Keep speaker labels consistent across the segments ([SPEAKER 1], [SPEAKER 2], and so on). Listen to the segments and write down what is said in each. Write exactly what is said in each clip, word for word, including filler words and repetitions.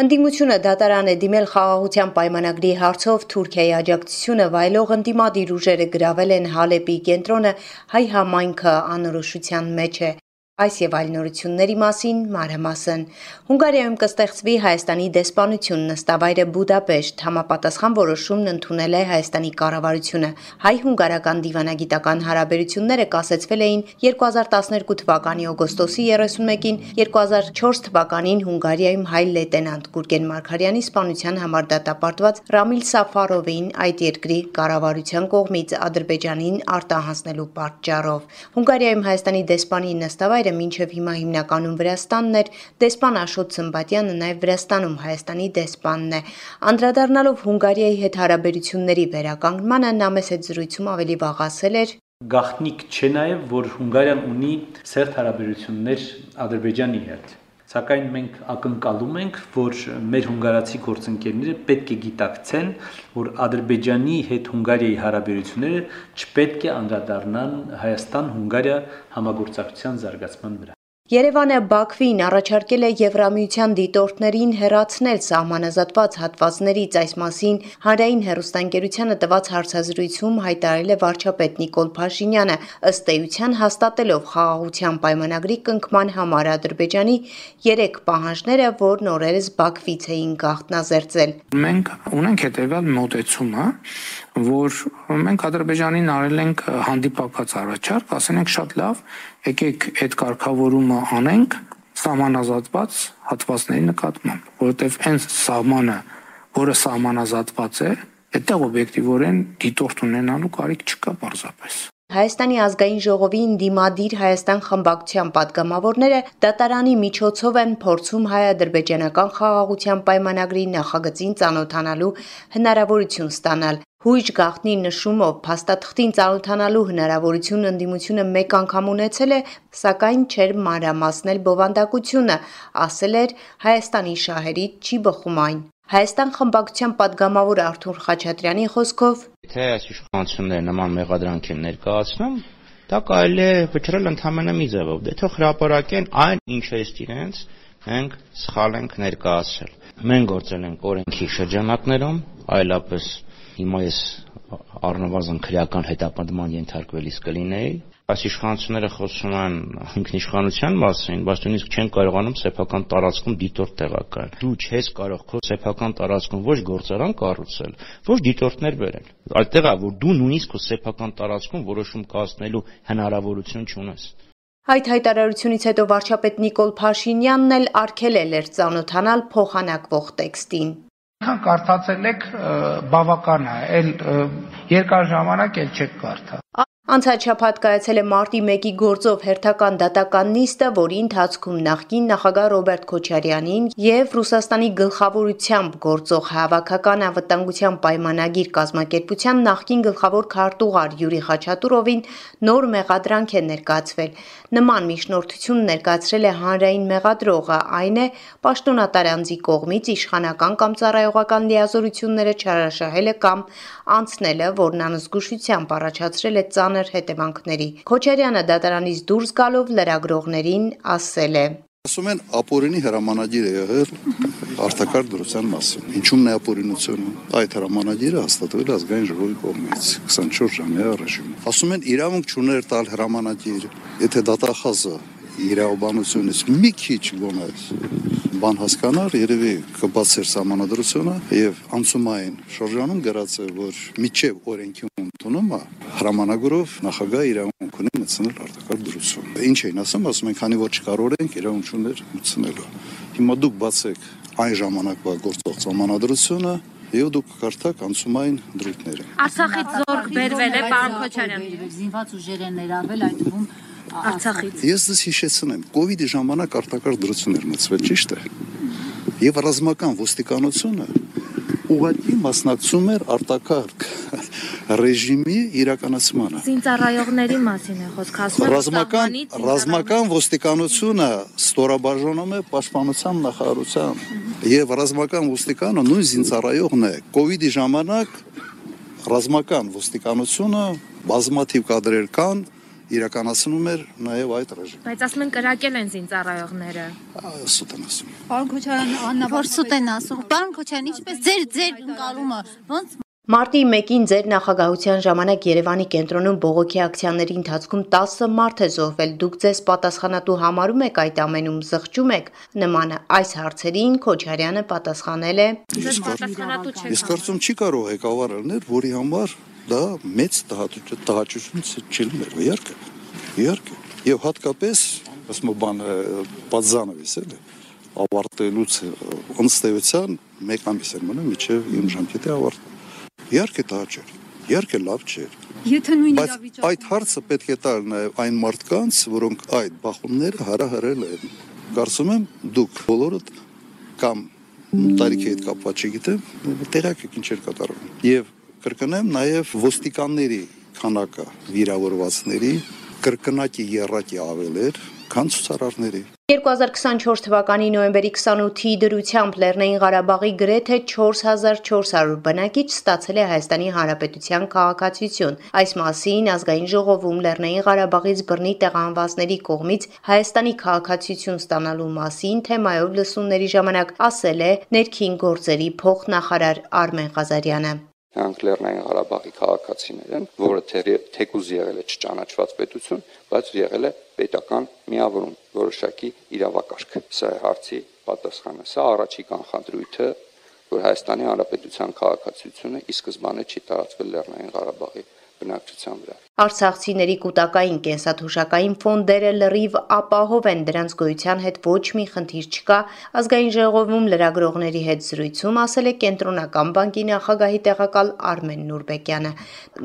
[SPEAKER 1] Ընդդիմությունը դատարան է դիմել խաղաղության պայմանագրի հարցով Թուրքիայի աջակցությունը վայելող ընդդիմադիր ուժերը գրավել են Հալեպի կենտրոնը, հայ համայնքը անորոշության մեջ է։ Այս եւ այլ նորությունների մասին մանրամասն։ Հունգարիայում կստեղծվի Հայաստանի դեսպանություն, նստավայրը Բուդապեշտ, համապատասխան որոշումն ընդունել է Հայաստանի կառավարությունը։ Հայ-հունգարական դիվանագիտական հարաբերությունները կասեցվել էին երկու հազար տասներկու թվականի օգոստոսի երեսունմեկին, երկու հազար չորս թվականին Հունգարիայում հայ լեյտենանտ Գուրգեն Մարգարյանի սպանության համար դատապարտված Ռամիլ Սաֆարովին այդ երկրի կառավարության կողմից Ադրբեջանին արտահանձնելու պատճառով։ Հունգարիայում Հայաստանի դեսպանի նստավայրը մինչև հիմա հիմնականում Վրաստանն էր, դեսպան Աշոտ Սմբատյանը նաև Վրաստանում Հայաստանի դեսպանն է։ Անդրադառնալով Հունգարիայի հետ հարաբերությունների վերականգնմանը նա մեծ հետ զրույցում ավելի վաղ ասել էր.
[SPEAKER 2] Գաղտնիք չէ նաև, որ Հունգարիան ունի սերտ հարաբերություններ Ադրբեջանի հետ։ Սակայն մենք ակնկալում ենք, որ մեր հունգարացի գործընկերները պետք է գիտակցեն, որ Ադրբեջանի հետ Հունգարիայի հարաբերությունները չպետք է անդրադառնան Հայաստան-Հունգարիա համագործակցության զարգացման վրա։
[SPEAKER 1] Երևանը Բաքվին առաջարկել է Եվրամիության դիտորդներին հեռացնել սահմանազատված հատվածներից, այս մասին Հանրային հեռուստաընկերությանը տված հարցազրույցում հայտարարել է վարչապետ Նիկոլ Փաշինյանը, ըստ էության հաստատելով խաղաղության պայմանագրի կնքման համար Ադրբեջանի երեք պահանջները, որն օրերս Բաքվից էին գաղտնազերծել։
[SPEAKER 3] Մենք ունենք հետևյալ մոտեցումը, որ մենք Ադրբեջանին արել ենք հանդիպակաց առաջարկ, ասել ենք շատ լավ, եկեք այդ կարգավորումը անենք սահմանազատված հատվածների նկատմամբ, որովհետև այն սահմանը, որը սահմանազատված է, այդտեղ օբյեկտիվորեն դիտորդ ունենալու կարիք չկա պարզապես։
[SPEAKER 1] Հայաստանի ազգային ժողովի ընդդիմադիր Հայաստան խմբակցության պատգամավորները դատարանի միջոցով են փորձում հայ-ադրբեջանական խաղաղության պայմանագրի նախագծին ծանոթանալու հնարավորություն ստանալ։ Հույժ գաղտնի նշումով փաստաթղթին ծանոթանալու հնարավորություն ընդդիմությունը մեկ անգամ ունեցել է, սակայն չէր մանրամասնել բովանդակությունը, ասել էր Հայաստանի շահերից չի բխում այն։ Հայաստան խմբակցության պատգամավոր Արթուր Խաչատրյանի խոսքով.
[SPEAKER 4] Թե այս իշխանությունները նման մեղադրանք են ներկայացնում, դա կարելի է վճռել ընդհանրապես մի ձևով, դե թող հրապարակեն այն, ինչը ըստ իրենց մենք սխալ ենք ներկայացրել։ Մենք գործել ենք օրենքի շրջանակներում, այլապես հիմա ես առնվազն քրեական հետապնդման ենթարկվելիս կլինեի։ Այս իշխանությունները խոսում են ինքնիշխանության մասին, բայց նույնիսկ չեն կարողանում սեփական տարածքում դիտորդ տեղակայել։ Դու չես կարող քո սեփական տարածքում ոչ գործարան կառուցել, ոչ դիտորդներ բերել։ Այդտեղ է, որ դու նույնիսկ քո սեփական տարածքում որոշում կայացնելու հնարավորություն չունես։
[SPEAKER 1] Այդ հայտարարությունից հետո վարչապետ Նիկոլ Փաշինյանն էլ արգելել էր ծանոթանալ փոխանակվող տեքստին։
[SPEAKER 3] Քան կարդացել եք բավական է, այլ երկար ժամանակ էլ չեք կարդա։
[SPEAKER 1] Անցած շաբաթ կայացել է մարտի մեկի գործով հերթական դատական նիստը, որի ընթացքում նախկին նախագահ Ռոբերտ Քոչարյանին եւ Ռուսաստանի գլխավորությամբ գործող Հավաքական անվտանգության պայմանագիր կազմակերպության նախկին գլխավոր քարտուղար Յուրի Խաչատուրովին նոր մեղադրանք է ներկայացվել։ Նման միջնորդություն ներկայացրել է հանրային մեղադրողը, այն է պաշտոնատար անձի կողմից իշխանական կամ ծառայողական լիազորությունները չարաշահելը կամ անցնելը, որն անզգուշությամբ առաջացրել է ծանր հետևանքների։ Քոչարյանը դատարանից դուրս գալով լրագրողներին ասել է.
[SPEAKER 5] Ասում են ապօրինի հրամանագիր է եղել արտակարգ դրության մասին։ Ինչու՞մն է ապօրինությունը։ Այդ հրամանագիրը հաստատվել է ազգային ժողովի կողմից քսանչորս ժամյա առաջին։ Ասում են իրավունք չուներ տալ հրամանագիր, եթե դատախազը իրավաբանությունից մի քիչ գոնե բան հասկանար, երևի կբացեր սահմանադրությունը եւ անցումային շրջանում գրած է, որ միջև օրենքի ընդունումը հրամանագրով նախագահ իրավունք ունի մտցնել արտակարգ դրություն։ Ինչ էին ասում, ասում են, քանի որ չկարողենք իրավունք չուներ մտցնելու։ Հիմա դուք բացեք այն ժամանակվա գործող սահմանադրությունը եւ դուք կարդաք անցումային դրույթները։
[SPEAKER 6] Արցախից զորք բերվել է, պարոն Քոչարյան։
[SPEAKER 7] Զինված ուժեր են ներառվել այդ թվում
[SPEAKER 6] Արցախից։
[SPEAKER 5] Ես դες հիշեցնեմ, կոവിഡ്ի ժամանակ արտակարգ դրություններ մտցվել, ճիշտ է։ Եվ ռազմական ոստիկանությունը ուղղակի մասնակցում էր արտակարգ ռեժիմի իրականացմանը։
[SPEAKER 6] Զինծառայողների մասին է խոսքը, ասում են
[SPEAKER 5] ռազմական ռազմական ոստիկանությունը ստորաբաժանում է պաշտպանության նախարարությամբ եւ ռազմական ոստիկանը նույն զինծառայողն է։ Կոവിഡ്ի ժամանակ ռազմական ոստիկանությունը բազմաթիվ կադրեր կան իրականացնում էր նաև այդ ռեժիմը։
[SPEAKER 6] Բայց ասում են կրակել են զինծառայողները։
[SPEAKER 5] Սուտ են ասում։
[SPEAKER 7] Պարոն Քոչարյան, Աննա, որ սուտ են ասում։ Պարոն Քոչարյան, ինչպես ձեր ձեր ընկալումը ոնց
[SPEAKER 1] Մարտի մեկին ձեր նախագահության ժամանակ Երևանի կենտրոնում բողոքի ակցիաների ընթացքում տասը մարդ է զոհվել, դուք ձեզ պատասխանատու համարում եք այդ ամենում, զղջում եք նմանը այս հարցերին Քոչարյանը պատասխանել է.
[SPEAKER 5] Ես կարծում չի կարող ղեկավար լինել, որի համար դա մեծ տհաճություն չի լինել, իհարկե, իհարկե, եւ հատկապես ասում բան պատզանովից էլի ավարտելուց ըստ էության մեկ ամիս էր մնում մինչև իմ ժամկետի ավարտը։ Իհարկե տաճ էր, իհարկե լավ չէր։
[SPEAKER 7] Եթե նույն
[SPEAKER 5] իրավիճակում այդ հարցը պետք է տալ նաև այն մարդկանց, որոնք այդ բախումները հարահարել են։ Կարծում եմ դուք բոլորդ կամ տարիքի հետ կապված չգիտեմ, տեղյակ եք ինչեր կատարվում։ Եվ կրկնեմ նաև ոստիկանների քանակը վիրավորվածների կրկնակի երակի ավել էր, քան ցուցարարների։
[SPEAKER 1] երկու հազար քսանչորս թվականի նոյեմբերի քսանութի դրությամբ Լեռնային Ղարաբաղի գրեթե չորս հազար չորս հարյուր բնակիչ ստացել է Հայաստանի Հանրապետության քաղաքացիություն։ Այս մասին ազգային ժողովում Լեռնային Ղարաբաղից բռնի տեղահանվածների կողմից Հայաստանի քաղաքացիություն ստանալու մասին թեմայով լսումների ժամանակ ասել է ներքին գործերի փոխնախարար Արմեն Ղազարյանը։
[SPEAKER 8] Նրանք Լեռնային Ղարաբաղի քաղաքացիներ են, որը թեկուզ եղել է չճանաչված պետություն, բայց եղել է պետական միավորում, որոշակի իրավակարգ։ Սա է հարցի պատասխանը։ Սա առաջի կանխադրույթը, որ Հայաստանի Հանրապետության քաղաքացիությունը ի սկզբանե չի տարածվել Լեռնային Ղարաբաղի բնակչության վրա։
[SPEAKER 1] Արցախցիների կൂട്ടակային կենսաթոշակային ֆոնդերը լրիվ ապահով են, դրանց գոյության հետ ոչ մի խնդիր չկա, ազգային ժողովում լրագրողների հետ զրույցում ասել է Կենտրոնական բանկի նախագահի տեղակալ Արմեն Նուրբեկյանը։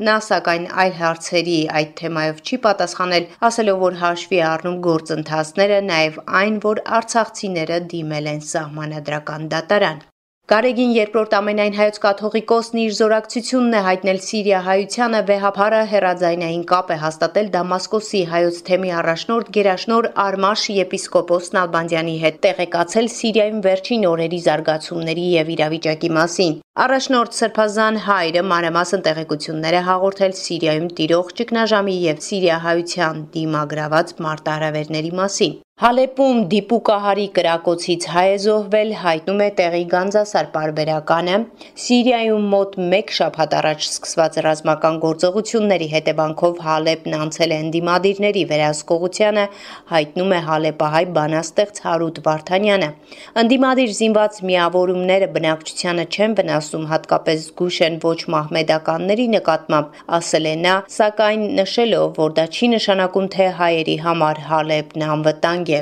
[SPEAKER 1] Նա սակայն այլ հարցերի այդ թեմայով չի պատասխանել, ասելով, որ հաշվի է առնում գործընթացները, նաև այն, որ արցախցիները դիմել են սահմանադրական դատարան։ Գարեգին երկրորդ ամենայն հայոց կաթողիկոսն իր զորակցությունն է հայտնել Սիրիա-հայությանը, վեհափառը հեռաձայնային կապ է հաստատել Դամասկոսի հայոց թեմի առաջնորդ գերաշնոր Արմաշ եպիսկոպոս Նալբանդյանի հետ, տեղեկացել Սիրիայում վերջին օրերի զարգացումների եւ իրավիճակի մասին։ Առաջնորդ Սրբազան հայրը մանրամասն տեղեկություններ է հաղորդել Սիրիայում տիրող ճգնաժամի եւ Սիրիա-հայության դիմագրաված մարտահրավերների մասին։ Հալեպում դիպուկահարի կրակոցից հայ է զոհվել, հայտնում է տեղի Գանձասար պարբերականը։ Սիրիայում մոտ մեկ շաբաթ առաջ սկսված ռազմական գործողությունների հետևանքով Հալեպն անցել է ընդդիմադիրների վերահսկողությանը, հայտնում է հալեպահայ բանաստեղծ Հարութ Վարդանյանը։ Ընդդիմադիր զինված միավորումները բնակչությանը չեն վնասում, հատկապես զգուշ են ոչ մահմեդականների նկատմամբ, ասել է նա, սակայն նշելով, որ դա չի նշանակում, թե հայերի համար Հալեպն անվտանգ է։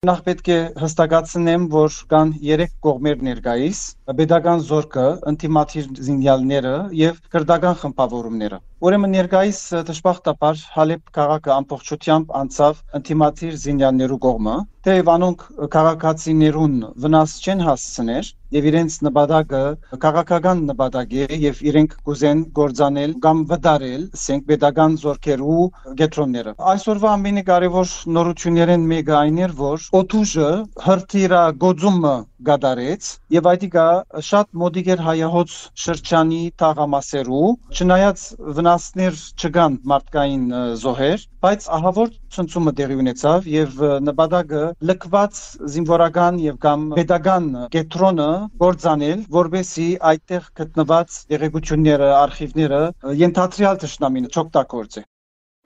[SPEAKER 9] Նախ պետք է հստակացնեմ, որ կան երեք կողմեր ներկայիս՝ պետական զորքը, ընդդիմադիր զինյալները եւ քրդական խմբավորումները։ Ուրեմն ներկայիս դժբախտաբար Հալեպ քաղաքը ամբողջությամբ անցավ ընդդիմադիր զինյալներու կողմը, թեև անոնք քաղաքացիներուն վնաս չեն հասցներ եւ իրենց նպատակը քաղաքական նպատակ է եւ իրենք կուզեն գործանել կամ վտարել ասենք պետական զորքերու գետրոնները։ Այսօրվա ամենակարևոր նորություններն մեկը այն էր, որ օթուժը հրթիռագործումը գդարեց եւ այդիկա շատ մոդիկ էր հայահոց շրջանի թաղամասերու, չնայած վնասներ չկան մարդկային զոհեր, բայց ահավոր ցնցումը տեղի ունեցավ եւ նպատակը լքված զինվորական եւ կամ պետական կետրոնը գործանել, որբեսի այդտեղ գտնված եղեկությունները, արխիվները ենթադրյալ թշնամին չօգտագործի։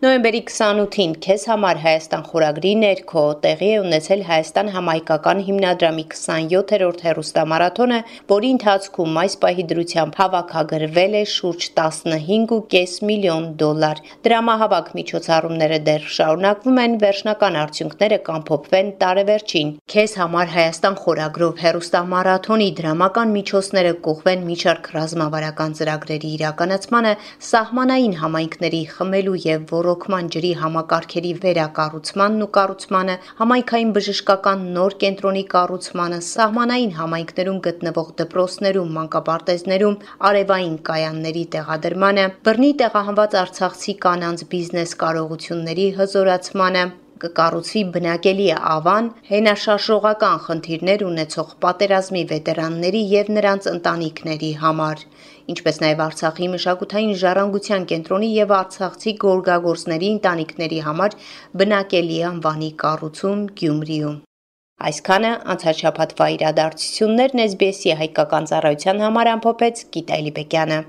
[SPEAKER 1] Նոյեմբերի քսանութին Քեզ համար Հայաստան խորագրի ներքո տեղի է ունեցել Հայաստան համայնքական հիմնադրամի քսանյոթերորդ հեռուստամարաթոնը, որի ընթացքում այս պահի դրությամբ հավաքագրվել է շուրջ տասնհինգ ու կես միլիոն դոլար։ Դրամահավաք միջոցառումները դեռ շարունակվում են, վերջնական արդյունքները կամփոփվեն տարեվերջին։ Քեզ համար Հայաստան խորագրով հեռուստամարաթոնի դրամական միջոցները կողվեն մի շարք ռազմավարական ծրագրերի իրականացմանը, սահմանային համայնքների խմելու եւ ռոկման ջրի համակարգերի վերակառուցմանն ու կառուցմանը, համայնքային բժշկական նոր կենտրոնի կառուցմանը, սահմանային համայնքներում գտնվող դպրոցներում, մանկապարտեզներում, արևային կայանների տեղադրմանը, բռնի տեղահանված արցախցի կանանց բիզնես կարողությունների հզորացմանը, կկառուցվի բնակելի ավան, հենաշարժողական խնդիրներ ունեցող պատերազմի վետերանների եւ նրանց ընտանիքների համար, ինչպես նաեւ Արցախի մշակութային ժառանգության կենտրոնի եւ արցախցի գորգագործների ընտանիքների համար բնակելի անվանի կառուցում Գյումրիում։ Այսքանը անցած շաբաթվա իրադարձություններն էս բի էսի հայկական ծառայության համար ամփոփեց Գիտալի Բեկյանը։